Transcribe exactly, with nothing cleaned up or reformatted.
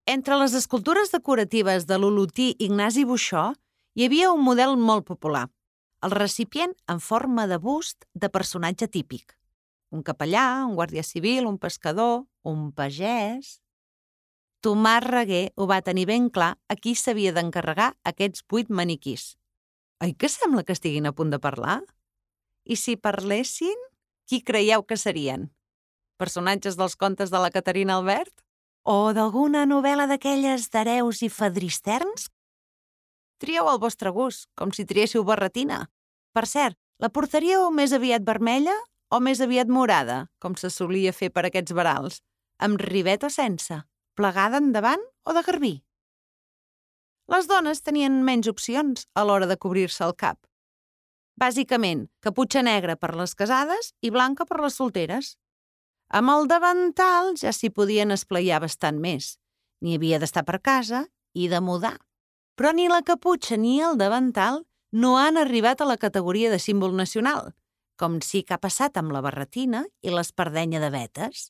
Entre les escultures decoratives de l'olotí Ignasi Buxó hi havia un model molt popular, el recipient en forma de bust de personatge típic. Un capellà, un guàrdia civil, un pescador, un pagès... Tomàs Reguer ho va tenir ben clar a qui s'havia d'encarregar aquests vuit maniquís. Oi que sembla que estiguin a punt de parlar? I si parlessin, qui creieu que serien? Personatges dels contes de la Caterina Albert? O d'alguna novel·la d'aquelles d'hereus i fadristerns? Trieu el vostre gust, com si triéssiu barretina. Per cert, la portaríeu més aviat vermella o més aviat morada, com se solia fer per aquests verals, amb rivet o sense, plegada endavant o de garbí? Les dones tenien menys opcions a l'hora de cobrir-se el cap. Bàsicament, caputxa negra per les casades i blanca per les solteres. Amb el davantal ja s'hi podien esplaiar bastant més. N'hi havia d'estar per casa i de mudar. Però ni la caputxa ni el davantal no han arribat a la categoria de símbol nacional, com sí que ha passat amb la barretina i l'espardenya de vetes.